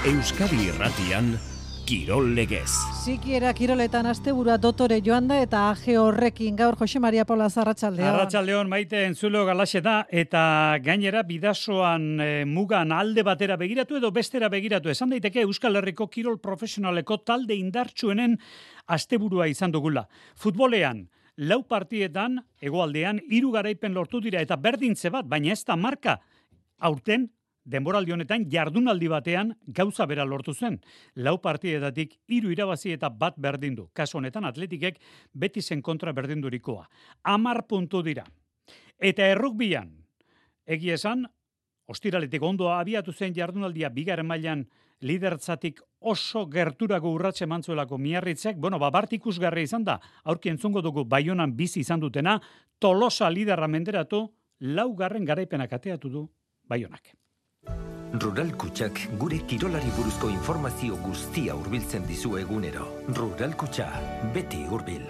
Euskadi Irratian, Kirol Legez. Sikiera kiroletan asteburua dotore joan da eta aje horrekin gaur Jose Maria Paula Arratsaldeon. Arratsaldeon Maite entzulo galaxeta eta gainera bidasoan mugan alde batera begiratu edo bestera begiratu. Esan daiteke Euskal Herriko kirol profesionaleko talde indartsuenen asteburua izan dugula. Futbolean, 4 partietan, hegoaldean 3 garaipen lortu dira eta berdintze bat, baina ez da marka. Aurten, denboraldi honetan jardunaldi batean gauza bera lortu zen. 4 partietatik 3 irabazi eta 1 berdindu. Kasu honetan Atletikek Betisen kontra berdindurikoa. 10 puntu dira. Eta errugbian, egia esan, ostiraletik ondo abiatu zen jardunaldia 2. mailan lidertzatik oso gerturako urratse mantzuelako Miarritzek, bart ikusgarria izan da, aurki entzungo dugu Baionan bizi izan dutena, Tolosa liderra menderatu, 4. garaipenak ateatu du Baionak. Rural Kutxak gure kirolari buruzko informazio guztia hurbiltzen dizu egunero. Rural Kutxa, beti hurbil.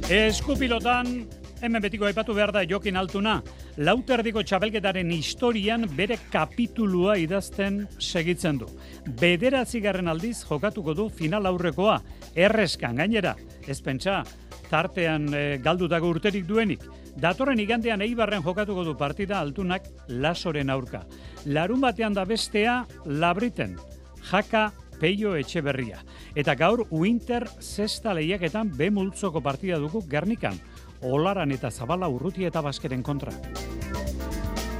Eskupilotan, hemen betiko aipatu behar da Jokin Altuna, Lauterdiko txapelketaren historian bere kapitulua idazten segitzen du. 9. aldiz jokatuko du final aurrekoa, erreskan gainera, ez pentsa, tartean galdutako urterik duenik. Datorren igandean Eibarren jokatuko du partida Altunak Lasoren aurka. Larun batean da bestea Labriten, Jaka Peio Etxeberria. Eta gaur Winter zesta lehiaketan B multzoko partida dugu Gernikan, Olaran eta Zabala Urrutia eta Baskeren kontra.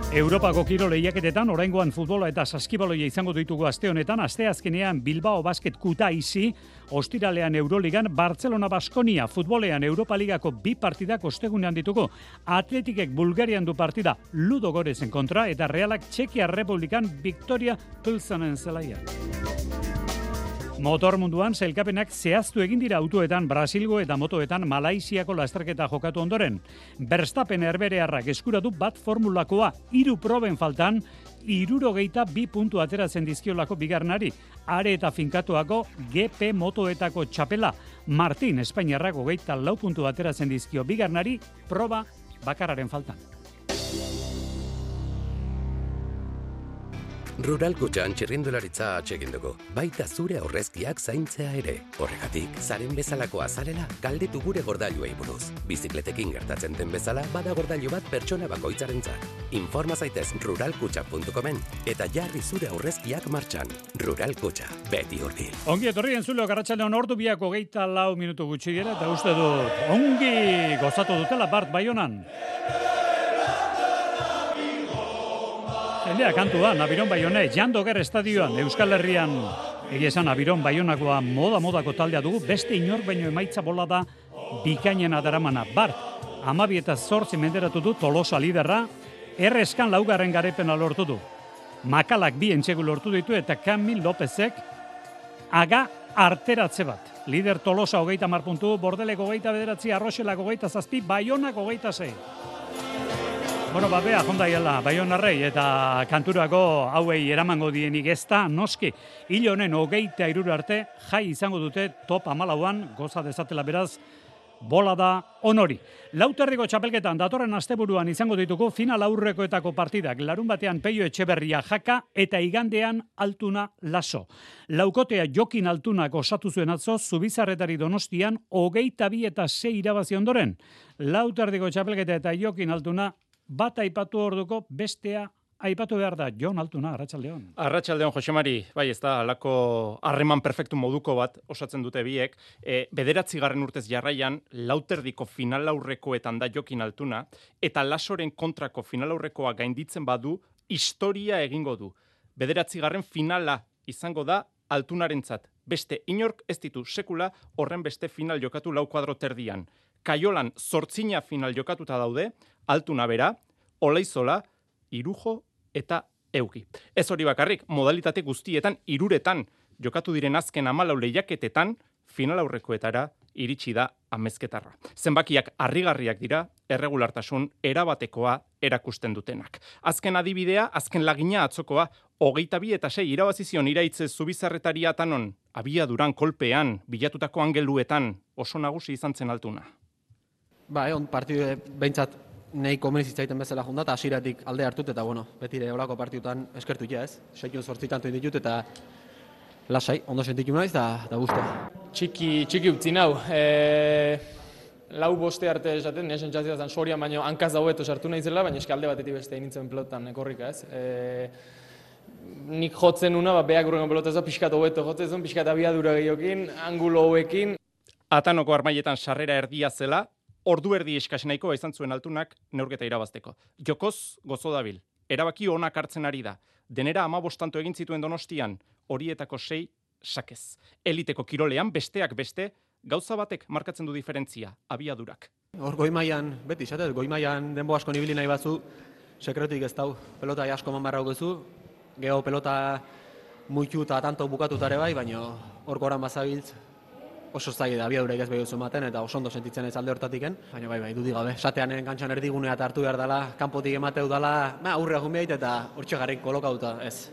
Europako kirol lehiaketetan oraingoan futbola eta saskibaloia izango ditugu aste honetan, asteazkenean Bilbao Basket Kutaisi, ostiralean Euroligan Barcelona Baskonia, futbolean Europa Ligako 2 partidak ostegunean ditugu. Atletikek Bulgarian du partida Ludogorezen kontra eta Realak Txekia Republikan Victoria Pilsenen zelaian. Motor munduan sailkapenak zehaztu egin dira autoetan, Brasilgo eta motoetan Malaisiako lasterketa jokatu ondoren. Verstappen herberearrak eskuratu bat formulakoa 3 proben faltan, 62 puntu ateratzen dizkiolako bigarnari. Are eta finkatuako GP motoetako txapela. Martin Espainiarrak 24 puntu ateratzen dizkio bigarnari, proba bakarraren faltan. Rural Kutxan txirrindularitza atsegin dugu, baita zure aurrezkiak zaintzea ere. Horregatik, zaren bezalako azalela galdetu gure gordailuei buruz. Bizikletekin gertatzen den bezala, bada gordailu bat pertsona bakoitzarentzat. Informa zaitez ruralkutxa.comen eta jarri zure aurrezkiak martxan. Rural Kutxa, beti hurbil. Ongi etorri entzuleok arratsaldean ordu biak 24 minutu gutxi dira eta uste dut ongi gozatu dutela Bart Baionan. Jendea kantua, Nabiron Baione, Jandoger estadioan, Euskal Herrian, egia esan Nabiron Baionakoa modako taldea dugu, beste inor baino emaitza bolada bikainena daramana. Bart, 12 eta 8 menderatu du Tolosa liderra, erreskan 4. garaipena lortu du. Makalak 2 entsegu lortu ditu eta Kamil Lopezek aga arteratze bat. Lider Tolosa 30 puntu, Bordelek 29, Arroxelak 27, Baionak 26. Bea, jondaiela, Baionarrei eta kanturako hauei eramango dienik ez da, noski, hil honen 23 arte, jai izango dute top 14an, goza dezatela beraz, bola da honori. Lauterdiko txapelketan datorren asteburuan izango ditugu final aurrekoetako partidak, larun batean Peio Etxeberria Jaka eta igandean Altuna Laso. Laukotea Jokin Altunak osatu zuen atzo, Zubizarretari Donostian 22 eta 6 irabazi ondoren. Lauterdiko txapelketa eta Jokin Altuna bat aipatu orduko, bestea aipatu behar da. Jon Altuna, arratsaldeon. Arratsaldeon, Jose Mari, bai ez da, alako harreman perfektu moduko bat osatzen dute biek. 9. urtez jarraian, Lauterdiko final aurrekoetan da Jokin Altuna, eta Lasoren kontrako final aurrekoa gainditzen badu, historia egingo du. 9. finala izango da Altunarentzat. Beste inork ez ditu sekula horren beste final jokatu 4 kuadro terdian. Kaiolan 8 final jokatuta daude, Altuna bera, Olaizola, Irujo eta Eugi. Ez hori bakarrik, modalitate guztietan 3 jokatu diren azken 14 lehiaketetan final aurrekoetara iritsi da amezketarra. Zenbakiak harrigarriak dira, erregulartasun erabatekoa erakusten dutenak. Azken adibidea, azken lagina atzokoa, 22 eta 6 irabazizion iraitze Zubizarretari Atanon, abiaduran kolpean, bilatutako angeluetan, oso nagusi izan zen Altuna. Partidu behintzat nahi komenzitzaiten bezala junda, eta hasieratik alde hartut, eta betire horako partiutan eskertu ja, ez? 6-8 tanto ditut, eta lasai, ondo sentitu naiz, eta guztua. Txiki utzi nau. Lau boste arte esaten, nire sentzazioa zen Sorian, baina hankaz daueto sartu nahi zela, baina eski alde batetik beste nintzen pelotan korrika, ez? Nik jotzen una, beak urrengo pelotazua pixkat hobeto jotzen, pixkat abiadura gehiokin, angulo hoekin. Atanoko armailetan sarrera erdia zela, ordu erdi eskasenaiko izan zuen Altunak neurketa irabazteko. Jokoz gozo dabil, erabaki onak hartzen ari da. Denera 15 tanto egin zituen Donostian, horietako 6 sakez. Eliteko kirolean besteak beste, gauza batek markatzen du diferentzia, abiadurak. Hor goi-mailan, beti izatez, goi-mailan denbo asko nibili nahi batzu, sekretuik ez dau, pelota asko eman barra dugu, geho pelota muitu eta tanto bukatutare bai, baina hor goran bazabiltz, oso zaila da, abiadurek ez behiuzu ematen, eta oso ondo sentitzen ez alde hortatiken, baina bai, dudik gabe, satean kantxan erdigunea eta hartu behar dela, kanpotik emateu dela, aurrea jun eta hortxe garrik kolokauta, ez.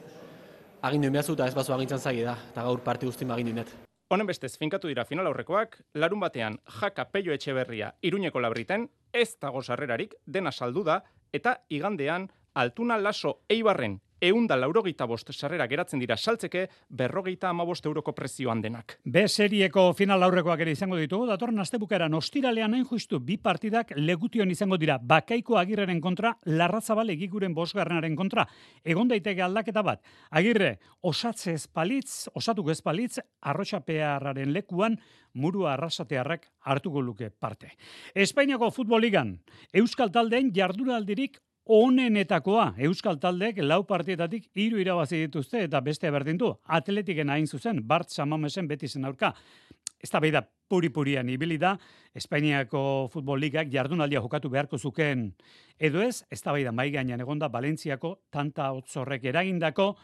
Agindu inbeazu eta ez bazu agintzen zaila da, eta gaur parti guztin agindu inet. Honen bestez, finkatu dira final aurrekoak, larun batean Jaka Pello Etxeberria Iruñeko Labriten, ez dago sarrerarik, dena saldu da, eta igandean Altuna Laso Eibarren 185 sarrera geratzen dira saltzeke 55 euroko prezioan denak. B serieko final aurrekoak ere izango ditugu, datorren astebukaeran ostiralean hain justu 2 partidak Legution izango dira, Bakaiko Agirreren kontra, Larrazabal Egiguren 5. kontra. Egon daiteke aldaketa bat. Agirre, osatuko ez palitz, Arrotxapearraren lekuan Murua Arrasatearrak hartuko luke parte. Espainiako futbol ligan, Euskal taldeen jardunaldirik onenetakoa, Euskal taldeek 4 partietatik 3 irabazi dituzte eta beste berdindu. Atletiken hain zuzen, Bart Samamesen Betisen aurka. Eztabaida puri-purian ibili da, Espainiako futbol ligak jardunaldia jokatu beharko zukeen edo ez, eztabaida mai gainean egonda Valentziako tanta hotzorrek eragindako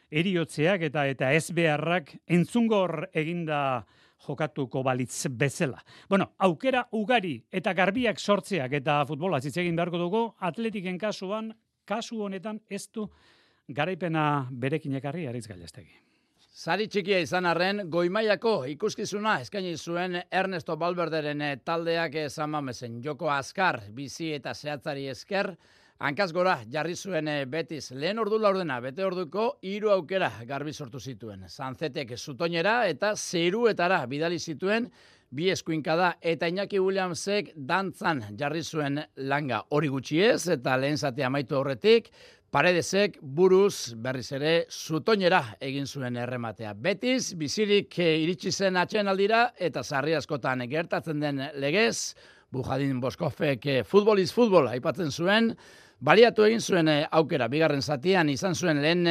eriotzeak eta ez beharrak entzungor eginda jokatuko balitz bezala. Aukera ugari eta garbiak sortzeak eta futbola hitz egin beharko dugu, Atletiken kasu honetan ez du garaipena berekin ekarri Aritz Gallastegi. Sari txikia izan arren, goi-mailako ikuskizuna eskaini zuen Ernesto Valverderen taldeak San Mamesen. Joko azkar, bizi eta zehatzari esker, hankaz gora jarri zuen Betis. Lehen ordu laurdena, bete orduko 3 aukera garbi sortu zituen. Sanzetek zutoinera eta zeruetara bidali zituen 2 eskuinkada eta Iñaki Williamsek dantzan jarri zuen langa. Hori gutxi ez eta lehen zatea amaitu aurretik, Paredesek buruz berriz ere zutoinera egin zuen errematea. Betis bizirik iritsi zen atsedenaldira eta sarri askotan gertatzen den legez, Bujadin Boskofek futbol is futbol aipatzen zuen, baliatu egin zuen aukera, bigarren zatian izan zuen lehen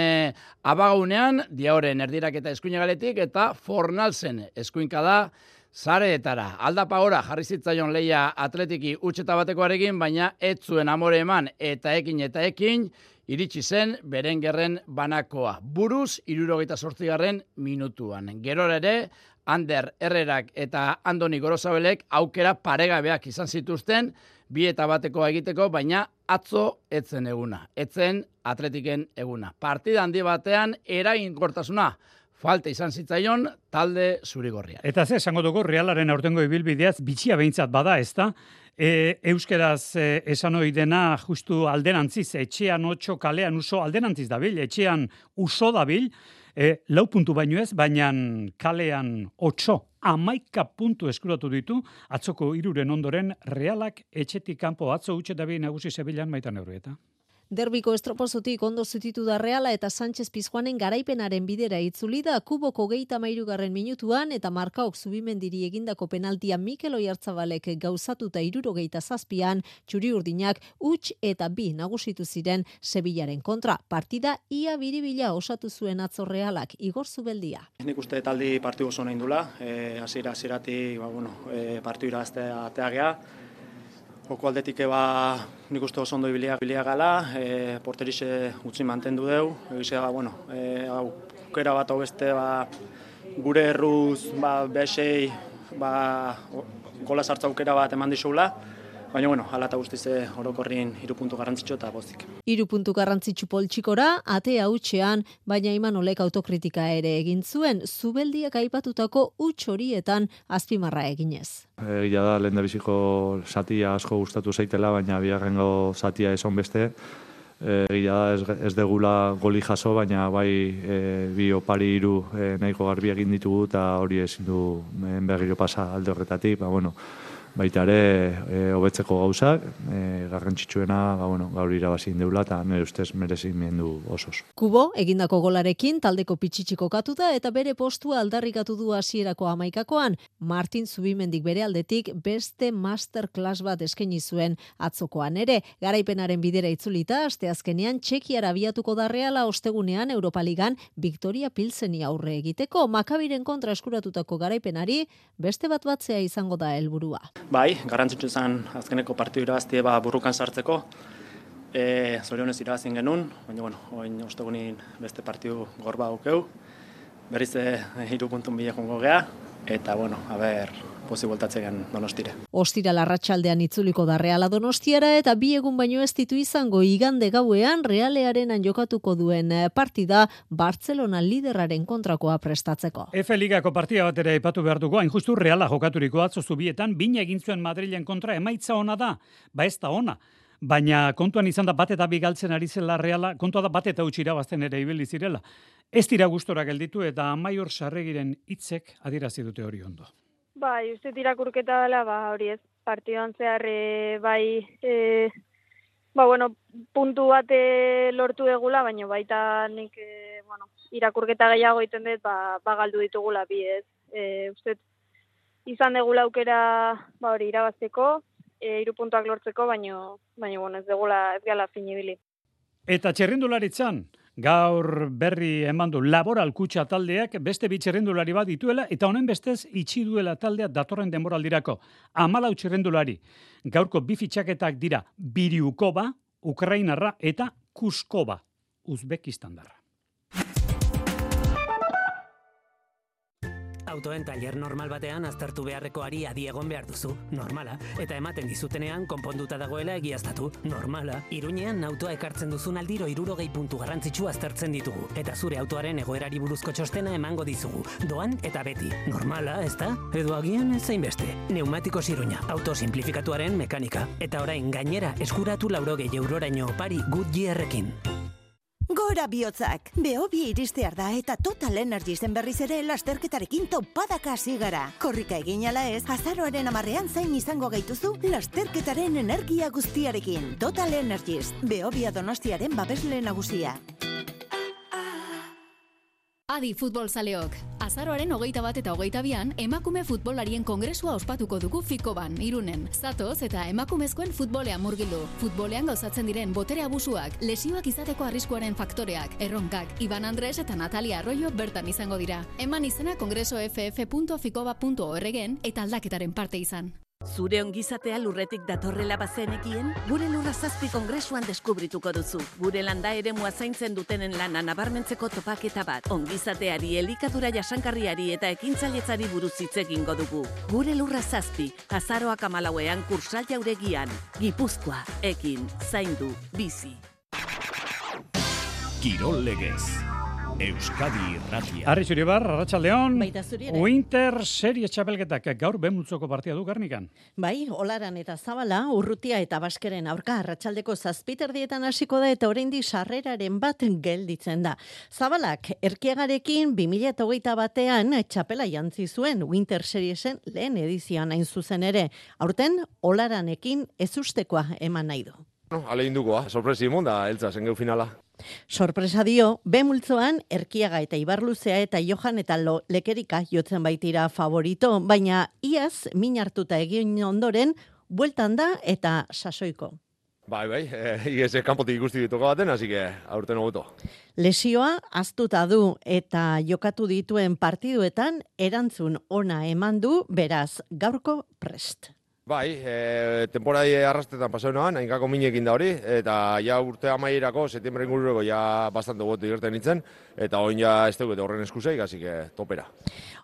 abagaunean, Diaoren erdiraketa eskuinagaletik eta Fornalsen eskuinkada zareetara. Aldapa ora jarri zitzaion leia Atletiki utxeta batekoarekin, baina ez zuen amore eman eta ekin, iritsi zen Berengerren banakoa. Buruz 78. minutuan. Gerora ere, Ander Herrerak eta Andoni Gorosabelek aukera paregabeak izan zituzten, 2-1 egiteko, baina atzo etzen eguna. Etzen Atletiken eguna. Partida handi batean eraginkortasuna falta izan zitzaion talde zurigorria. Eta ze esango dugu Realaren aurtengo ibilbideaz bitxia behintzat bada, ezta? Euskeraz esan hori dena justu alderantziz, etxean 8, kalean uso, alderantziz dabil, etxean uso dabil, 4 puntu baino ez, baina kalean 8, 11 puntu eskuratu ditu, atzoko 3 ondoren Realak etxetik kanpo atzo utxe dabil nagusi Sevillan Maitan Eurrieta. Derbiko estropozotik ondo zutitu da Reala eta Sánchez Pizjuanen garaipenaren bidera itzuli da Kuboko 33. minutuan eta Markaok Zubimendiri egindako penaltia Mikel Oyartzabalek gauzatuta 77an txuri-urdinak huts eta 2 nagusitu ziren Sevillaren kontra. Partida ia biribila osatu zuen atzo Realak, Igor Zubeldia. Nik uste taldi partidu oso nahi indula, hasieratik partidu iraztea ateagea. Joko aldetik nik uste oso ondo ibilia gala, porterixe utzi mantendu deu, egizea, aukera bat hau beste, gure erruz, behesei, gola sartza aukera bat eman dixula, Baina, bueno, hala eta guztiz orokorrin 3 puntu garrantzitsu eta pozik. 3 puntu garrantzitsu poltsikora, atea hutsean, baina Imanolek autokritika ere egin zuen, Zubeldiak aipatutako huts horietan azpimarra eginez. Egia da, lehendabiziko zatia asko gustatu zaitela, baina bigarrengo zatia esan beste. Egia da, ez degula goli jaso, baina bai bi opari 3 nahiko garbi egin ditugu, eta hori ezin du berriro pasa alde horretatik, baita ere hobetzeko gauzak, garrantzitsuena gaur irabazi deula eta nire ustez merezimendu osoz. Kubo egindako golarekin taldeko pitxitxiko katuta eta bere postua aldarrikatu du hasierako 11koan. Martin Zubimendik bere aldetik beste masterclass bat eskaini zuen atzokoan ere. Garaipenaren bidera itzulita asteazkenean Txekiara abiatuko da Reala ostegunean Europa Ligan Victoria Pilseni aurre egiteko. Makabiren kontra eskuratutako garaipenari beste batzea izango da helburua. Bai, garrantzitsu zen azkeneko partidu irabaztie burrukan sartzeko. Zorionez irabazien genuen, baina, oin ostegunin beste partidu gorba aukeu. Berriz 3 puntun bila jongo gea, eta, pozi voltatzen Donostire. Ostiral arratsaldean itzuliko da Reala Donostiara eta 2 egun baino ez ditu izango igande gauean Realearenan jokatuko duen partida Barcelona liderraren kontrakoa prestatzeko. F Ligako partida bat ere aipatu behar dugu, hain justu Reala jokaturiko atzo Zubietan, bina egin zuen Madrilen kontra, emaitza ona da, ez da ona. Baina kontuan izan da bat eta bi galtzen ari zela Reala, kontua da bat eta huts irabazten ere ibili zirela. Ez dira gustora gelditu eta Amaiur Sarregiren hitzek adierazi dute hori ondo. Bai, uste irakurketa dela, hori ez, partiduan zehar, puntu bat lortu egula, baina baita nik, irakurketa gehiago egiten dut, galdu ditugula bi ez. Uste izan degula aukera, hori irabazteko, 3 puntuak lortzeko, baina ez degula ez gala finibili. Eta txerrindularitzan, gaur berri eman du Laboral Kutxa taldeak beste bi txerrindulari bat dituela eta honen bestez itxi duela taldea datorren denboraldirako. 14 txerrindulari. Gaurko 2 fitxaketak dira Biriukova, Ukrainarra eta Kuskova, Uzbekistandarra. Autoen tailer normal batean aztertu beharrekoari adi egon behar duzu, normala, eta ematen dizutenean konponduta dagoela egiaztatu, normala. Iruñean autoa ekartzen duzun aldiro 60 puntu garrantzitsu aztertzen ditugu, eta zure autoaren egoerari buruzko txostena emango dizugu, doan eta beti, normala, ezta? Edo agian ez zainbeste. Neumatikos Iruña, auto simplifikatuaren mekanika, eta orain gainera eskuratu 80 euroraino opari Goodyearrekin. Gora bihotzak! Behobia iristear da eta Total Energiesen berriz ere lasterketarekin topadaka hasi gara. Korrika egin ala ez, azaroaren 10ean zain izango gaituzu lasterketaren energia guztiarekin. Total Energies, Behobia Donostiaren babesle nagusia. Adi futbolzaleok, azaroaren 21 eta 22an emakume futbolarien kongresua ospatuko dugu Fikoban, Irunen. Zatoz eta emakumezkoen futbolean murgildu. Futbolean gauzatzen diren botere abusuak, lesioak izateko arriskuaren faktoreak, erronkak, Iban Andres eta Natalia Arroyo bertan izango dira. Eman izena kongresoff.fikoba.org-en eta aldaketaren parte izan. Zure ongizatea lurretik datorrela bazenekien, gure Lurra 7 kongresuan deskubrituko duzu. Gure landa eremua zaintzen dutenen lana nabarmentzeko topaketa bat. Ongizateari, elikadura jasankarriari eta ekintzailetzari buruz hitz egingo dugu. Gure Lurra 7, azaroak 14ean Kursal Jauregian. Gipuzkoa, ekin, zaindu, bizi. Kirol legez. Euskadi Irratia. Arri Zuribar, Arratsaldeon. Baita zuri ere. Winter Series txapelketak gaur Benmultzoko partia du Gernikan. Bai, Olaran eta Zabala, Urrutia eta Baskeren aurka arratsaldeko 7:00 hasiko da eta oraindik sarreraren bat gelditzen da. Zabalak Erkiagarekin 2021ean txapela jantzi zuen Winter Seriesen lehen edizioan hain zuzen ere. Aurten Olaranekin ezustekoa eman nahi du. Alegin sorpresi da eltza zengeu finala. Sorpresa dio, Benmultzoan Erkiaga eta Ibarluzea eta Johan eta Lekerika jotzen baitira favorito, baina iaz min hartuta egin ondoren, bueltan da eta sasoiko. Bai, igeze kanpotik ikusti dituko baten, hasi que aurten hobeto. Lesioa aztuta du eta jokatu dituen partiduetan erantzun ona eman du, beraz, gaurko prest. Bai, temporadi arrastetan pasau noan, hainkako minekin da hori, eta ja urte amaierako, septiembre ingurureko ja bastante gotu igerten nintzen, eta oin ja ez dugu horren eskuseik, hasi que topera.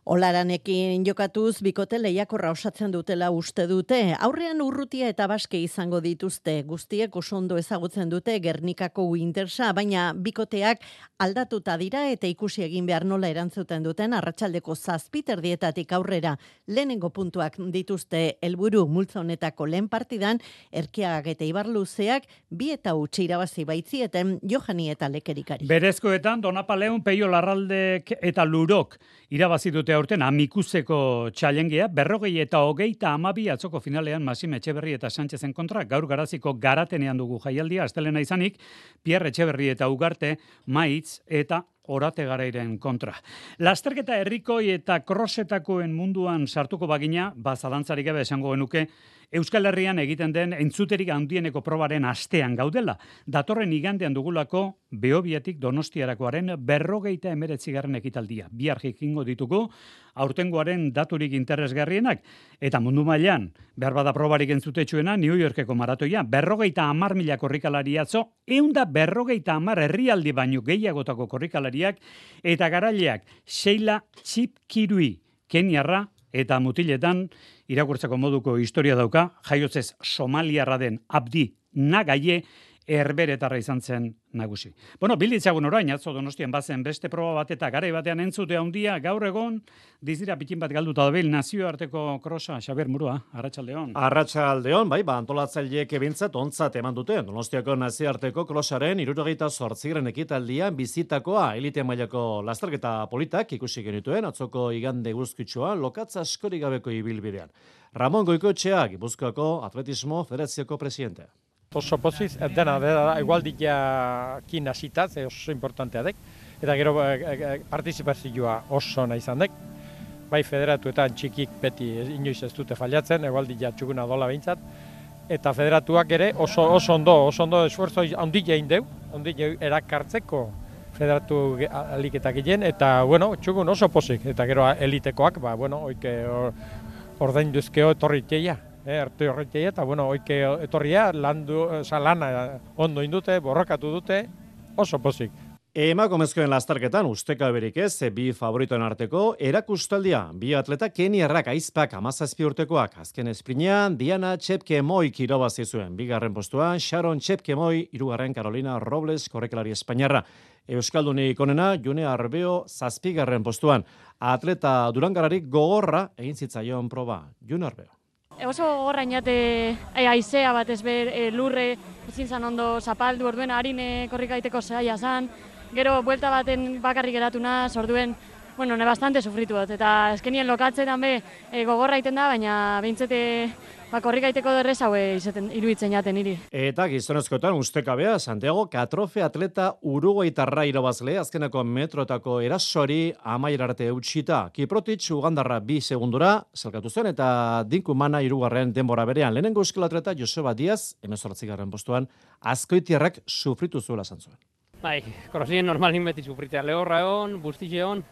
Olaranekin jokatuz, bikote lehiakorra osatzen dutela uste dute. Aurrean Urrutia eta Baske izango dituzte. Guztiek oso ondo ezagutzen dute Gernikako Wintersa, baina bikoteak aldatuta dira eta ikusi egin behar nola erantzuten duten arratsaldeko 7:00 aurrera. Lehenengo puntuak dituzte helburu multzo honetako lehen partidan, Erkiagak eta Ibarluzeak 2-0 irabazi baitzieten Johani eta Lekerikari. Berezkoetan Donapaleun, Peio Larraldek eta Lurok irabazi dute aurten amikuzeko txalengea, 40-22 atzoko finalean Maxime Etxeberri eta Sánchezen kontra, gaur Garaziko Garatenean dugu jaialdia, astelena izanik, Pierre Etxeberri eta Ugarte, Maitz eta Orate Garairen kontra. Lasterketa herrikoi eta krosetakoen munduan sartuko bagina, zalantzarik gabe esango genuke, Euskal Herrian egiten den entzuterik handieneko probaren astean gaudela. Datorren igandean dugulako Behobiatik Donostiarakoaren 59. ekitaldia. Bihar jakingo ditugu aurtengoaren daturik interesgarrienak. Eta mundu mailan, behar bada probarik entzutetsuena, New Yorkeko maratoia, 50.000 korrikalari atzo, 150 herrialdi baino gehiagotako korrikalariak, eta garaileak Sheila Chipkirui, Keniarra, eta mutiletan irakurtzeko moduko historia dauka, jaiotzez somaliarra den Abdi Nagaie herberetarra izan zen nagusi. Bueno, bilditzagun orain, atzo Donostian bazen beste proba bat eta garai batean entzute handia gaur egon, dizira pikin bat galduta dabil nazioarteko krosa, Xabier Murua, arratsaldeon. Arratsaldeon, bai, antolatzaileek ebintzat ontzat eman dute. Donostiako nazioarteko krosaren 78. ekitaldian bizitakoa elite mailako lasterketa politak ikusi genituen atzoko igande guzkitsua lokatza askorik gabeko ibilbidean. Ramon Goikoetxea, Gipuzkoako Atletismo Federazioko presidentea. Oso poziz, dena igualdiakin hasitaz, oso importantea dek, eta gero partizipazioa oso nahi izan dek. Bai federatuetan txikik beti inoiz ez dute fallatzen, igualdia txukuna dola behintzat, eta federatuak ere oso ondo esfuerzo handik egin deu, handik erakartzeko federatu aliketak egin, eta txukun oso pozik, eta gero elitekoak, oike ordainduzkeo etorriteia. Arte horretia eta oike etorria lana ondo indute, borrokatu dute, oso pozik. Emakumezkoen lasterketan usteka berik ez, bi favoritoen arteko erakustaldia, bi atleta keniarrak aizpak 17 urtekoak. Azken esprinean Diana Chepkemoi irabazi zuen, bigarren postuan Sharon Chepkemoi, hirugarren Carolina Robles korrikalari espainiarra. Euskaldunik onena June Arbeo 7. postuan. Atleta Durangararik gogorra egin zitzaion proba, June Arbeo. Oso gogorra inate aizea bat lurre ezin zan ondo zapaldu, orduen harin korrikaiteko zaila zan. Gero, buelta baten bakarrik geratu naz, orduen, ne bastante sufritu dut. Eta eskenien lokatzetan gogorra iten da, baina behintzete korrikaiteko derrez hau iruditzen jaten niri. Eta gizonezkoetan ustekabea, Santiago Catrofe atleta uruguaitarra irabazle, azkenako metrotako erasori amaierarte eutxita. Kiprotic Ugandarra 2 segundura, zelkatu zen, eta Dinkumana 3. denbora berean. Lehenengo euskal atleta Joseba Diaz, 18. postuan, Azkoitiarrak sufritu zuela zantzuen. Bai, korosien normalin beti sufritzea. Lehorra egon, bustitxe egon,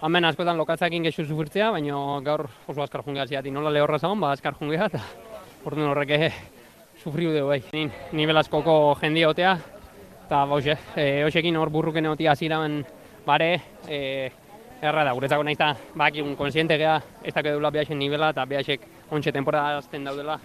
hemen askotan lokatzakin gehiago sufritzea, baina gaur oso azkar jungea ziatik. Nola lehorra zagon, azkar jungea, eta orduan horreke sufriu dugu bai. Nibel askoko jendia otea, eta hoxekin hor burruken egotia ziramen bare, erra da, guretzako nahiz da, bakiun konsiente geha, ez dakit dula behaxen nivela, eta behaxek ontxe temporada azten daudela,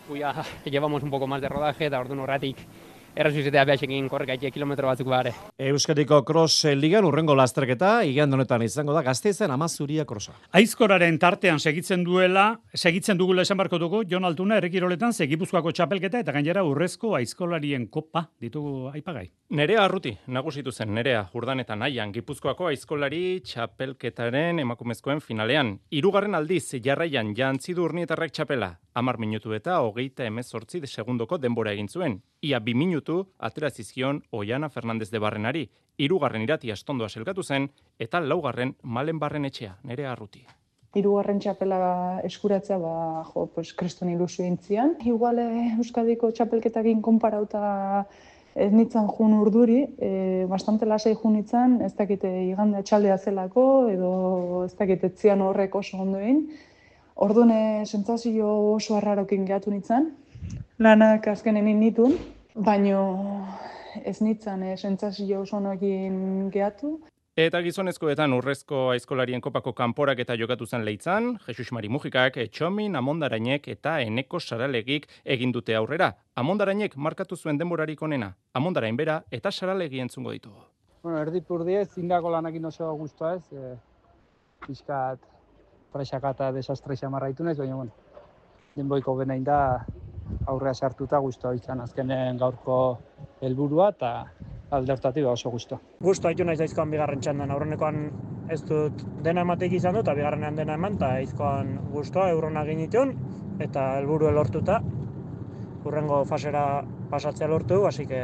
guia llevamos un poco más de rodaje, eta orduan horretik errezuizetea behaxekin korrekaitie kilometro batzuk bare. Euskadiko Cross Ligan urrengo lasterketa, igande honetan izango da Gasteizen Amazuria Crossa. Aizkoraren tartean segitzen dugula esan barko dugu, Jon Altuna errekiroletan Gipuzkoako txapelketa eta gainera urrezko aizkolarien kopa ditugu aipagai. Nerea Arruti, nagusitu zen Nerea Urdanetan Aian, Gipuzkoako aizkolari txapelketaren emakumezkoen finalean. 3. aldiz jarraian jantzi du Urnietarrek txapela, 10 minutu eta 38 segundoko denbora egin zuen. Ia 2 minutu atera zizkion Oiana Fernandez de Barrenari, 3. Irati Astondoa selkatu zen, eta 4. Malen Barrenetxea, Nerea Arruti. 3. txapela eskuratzea, kriston ilusio intzian. Igual Euskadiko txapelketakin konparauta ez nintzen jun urduri, bastante lasai jun nintzen, ez dakite igande atxaldea zelako, edo ez dakite etzian horrek oso ondo egin. Orduan sentsazio oso arrarokin gehatu nintzen, lanak azkenen nitun, baino ez nintzen sentsazio oso honekin gehatu. Eta gizonezkoetan urrezko aizkolarien kopako kanporak eta jokatu zen Leitzan, Jesus Mari Mujikak, Etxomin, Amondarainek eta Eneko Saralegik egin dute aurrera. Amondarainek markatu zuen denborarik onena, Amondarain bera eta Saralegi entzungo ditugu. Bueno, erdipurdiez, zindako lanakin oso guztua ez, pixkat presaka eta desastre xamarra itunez, baina bueno, denboiko benain da aurrea sartuta guztua izan azkenen gaurko helburua eta alde hortatik oso guztua. Guztua haitu naiz aizkoan bigarren txandan, aurrenekoan ez dut dena emateik izan dut, eta bigarrenean dena eman, eta aizkoan guztua eurona ginitun, eta helburu lortuta, urrengo fasera pasatzea lortu, hasi que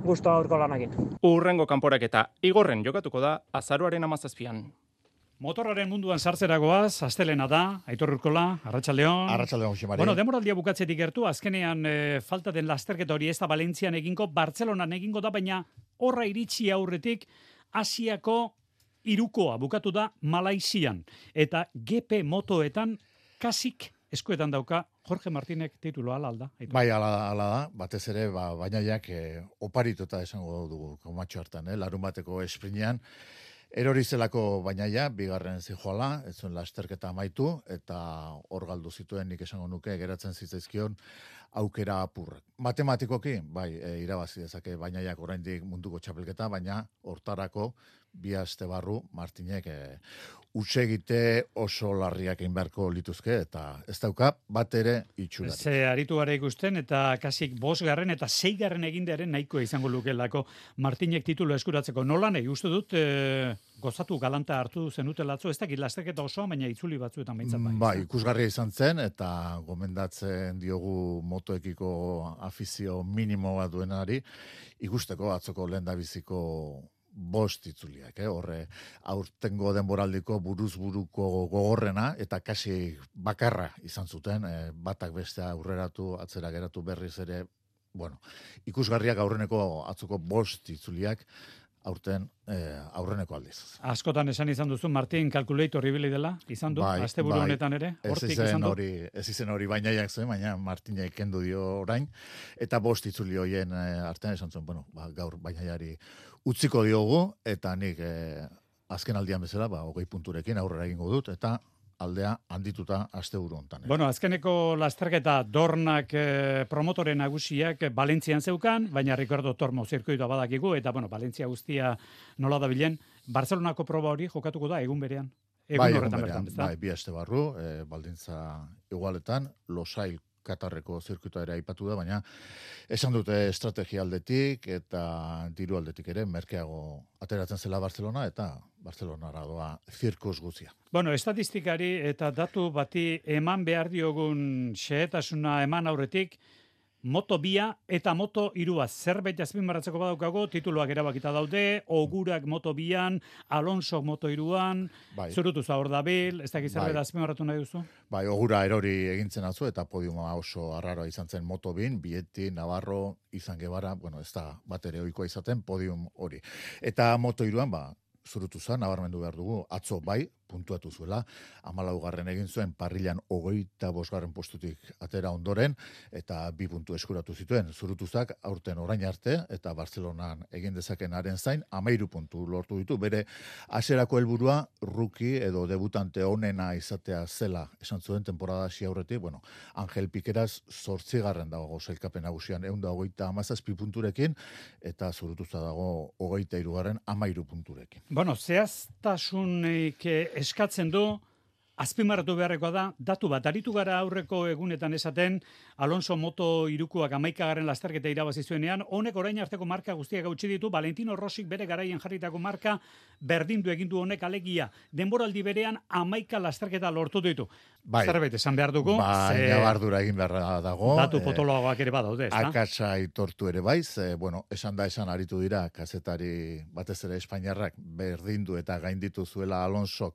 guztua aurko lanakin. Urrengo kanporak eta igorren jokatuko da azaroaren 17an. Motorraren munduan sartzeragoaz, astelena da, Aitor Urkola, Arratsaldeon. Arratsaldeon, Jose Mari. Bueno, demoraldia bukatzetik gertu, azkenean falta den lasterketa hori ez da Valentzian egingo, Bartzelonan egingo da, baina horra iritsi aurretik Asiako hirukoa bukatu da Malaizian. Eta GP motoetan kasik eskuetan dauka Jorge Martinek tituloa alda. Bai, ala da, batez ere, bainaiak oparituta esango dugu komatxo hartan, larun bateko esprinean. Erori zelako bainaia, bigarren zijoala, ez zuen lasterketa amaitu, eta hor galdu zituen nik esango nuke geratzen zitzaizkion aukera apurrak. Matematikoki, bai, irabazi dezake bainaiak oraindik munduko txapelketa, baina hortarako bi aste barru Martinek utsegite oso larriak egin beharko lituzke, eta ez dauka bat ere itxurarik. Ze aritu gara ikusten, eta kasik 5. eta 6. egindearen nahikoa izango lukelako Martinek titulo eskuratzeko. Nola nahi, uste dut gozatu galanta hartu zenuten latzo, ez dakit lasterketa osoa, baina itzuli batzuetan behintzat bai. Bai, ikusgarria izan zen, eta gomendatzen diogu motoekiko afizio minimo bat duenari, ikusteko atzoko lehendabiziko 5 itzuliak, horre aurtengo denboraldiko buruz-buruko gogorrena, eta kasi bakarra izan zuten, batak bestea aurreratu, atzera geratu berriz ere, bueno, ikusgarriak aurreneko atzoko 5 itzuliak, aurten aurreneko aldiz. Askotan esan izan duzu, Martin kalkulator ibili dela, izan du, asteburu honetan ere, hortik izan du. Ez izen hori bainaiak zuen, baina Martinek kendu dio orain, eta 5 itzuli hoien artean esan zuen, bueno, gaur bainaiari utziko diogu, eta nik azken aldian bezala, 20 punturekin aurrera egingo dut, eta aldea handituta asteburu hontan. Bueno, azkeneko lasterketa Dornak promotore nagusiak Valentzian zeukan, baina Ricardo Tormo zirkuitoa badakigu, eta bueno, Valentzia guztia nola da bilen, Barcelonako proba hori jokatuko da egun berean. Egun horretan bertan, ez da? Bai, 2 aste barru, baldintza igualetan, Losail Katarreko zirkuitoa ere aipatu da, baina esan dute estrategia aldetik eta diru aldetik ere merkeago ateratzen zela Barcelona, eta Barcelonara doa zirkus guzia. Bueno, estatistikari eta datu bati eman behar diogun xehetasuna eman aurretik, Moto 2 eta Moto 3 zerbait azpimarratzeko badaukago, tituluak erabakita daude, Ogurak Moto 2an, Alonso Moto 3an, zurutuza hor dabil, ez dakiz zerbait azpimarratu nahi duzu? Bai, Ogura erori egintzen atzu, eta podiuma oso arraroa izan zen Moto 2, Bieti, Navarro, Izan Gebara, bueno, ez da bat ere ohikoa izaten podium hori. Eta Moto 3an, zurutuza, nabarmendu behar dugu, atzo bai, puntuatu zuela, 14. egin zuen parrilan 25. postutik atera ondoren, eta 2 puntu eskuratu zituen. Zurutuzak aurten orain arte, eta Barcelonan egin dezakenaren zain, 13 puntu lortu ditu. Bere hasierako helburua rookie edo debutante onena izatea zela esan zuen temporada hasi aurretik, bueno, Angel Pikeraz 8. dago sailkapen nagusian 127 punturekin, eta zurutuza dago 23. 13 punturekin. Bueno, zehaztasunik eskatzen du, azpimarratu beharrekoa da, datu bat, aritu gara aurreko egunetan esaten, Alonso Moto 3koak 11. lasterketa irabazi zuenean, honek orain arteko marka guztiak gautsi ditu, Valentino Rossik bere garaien jarritako marka berdindu egin du honek alegia. Denboraldi berean 11 lasterketa lortu ditu. Zerbait esan behar dugu. Baina bardura egin beharra dago. Datu potoloagoak ere badaude, ez da? Akatsa aitortu ere baiz, bueno, esan aritu dira, kazetari batez ere Espainiarrak berdindu eta gainditu zuela Alonsok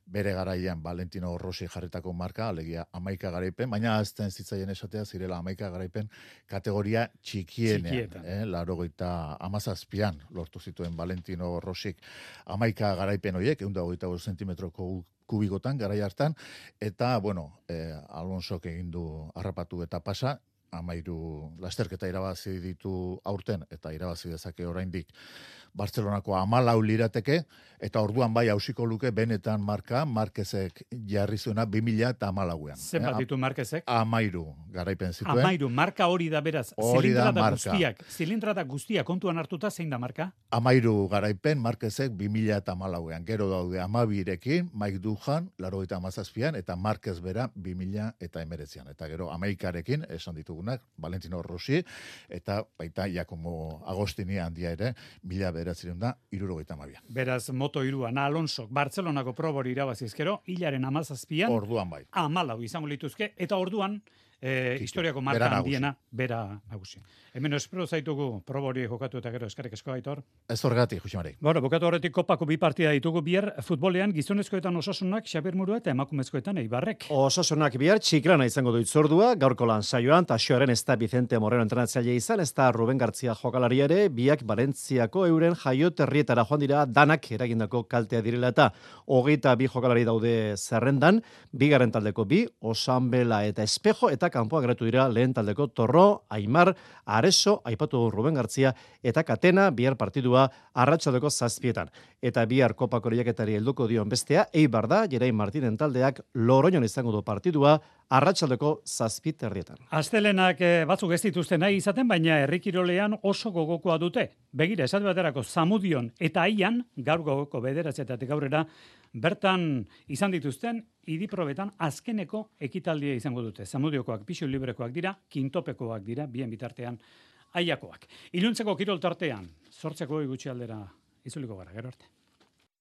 bere garaian Valentino Rossi jarritako marka, alegia 11 garaipen, baina azten zitzaien esatea zirela 11 garaipen kategoria txikienean. 87an lortu zituen Valentino Rossik 11 garaipen horiek, 125 zentimetroko kubikotan, garai hartan, eta, bueno, Alonsok egin du harrapatu eta pasa, 13 lasterketa irabazi ditu aurten, eta irabazi dezake oraindik Bartzelonako 14 lirateke, eta orduan bai hausiko luke benetan marka, Marquezek jarri zuena 2014an. Zenbat ditu Marquezek? 13 garaipen zituen. 13, marka hori da beraz. Hori da marka. Zilindrada guztiak kontuan hartuta zein da marka? 13 garaipen Marquezek 2014an. Gero daude 12rekin, Mike Duhan, 97an, eta Marquez bera 2019an. Eta gero Amerikarekin, esan ditugunak, Valentino Rossi, eta baita Giacomo Agostini handia ere, 1972an. Beraz, Moto3an, Alonsok, Bartzelonako probori irabazizkero, hilaren 17an. Orduan bai. 14 izango lituzke, eta orduan, historiako marka handiena, bera nagusi. Hemen espero zaitugu probori jokatu eta gero eskerrik asko Aitor. Ez horregatik, Jose Mari. Bueno, bukatu horretik kopako 2 partida ditugu bihar futbolean, gizonezkoetan Osasunak, Xabier Murua eta emakumezkoetan Eibarrek. Osasunak bihar Txiklana izango du itzordua, gaurko lan saioan, Taxoaren ez da Vicente Moreno entrenatzaile izan, ez da Ruben Gartzia jokalari ere, biak Valentziako euren jaioterrietara joan dira danak eragindako kaltea direla eta 22 jokalari daude zerrendan, bigarren taldeko 2, Osanbela eta Espejo, eta kanpoa geratu dira lehen taldeko Torro, Aimar, Areso, aipatu Ruben Gartzia, eta Katena, bihar partidua arratsaldeko 7etan. Eta bihar kopako lehiaketari helduko dion bestea, Eibar da, Jerain Martinen taldeak Loroñon izango du partidua, arratsaldeko 7:30. Astelenak batzuk ez dituzte nahi izaten, baina herrikirolean oso gogokoa dute. Begira, esate baterako Zamudion eta Aian, gaur gogoko 9:00 aurrera, bertan izan dituzten idiprobetan azkeneko ekitaldia izango dute. Zamudiokoak pisu librekoak dira, kintopekoak dira, bien bitartean Aiakoak. Iluntzeko kirol tartean, 8 gutxi aldera izuliko gara, gero arte.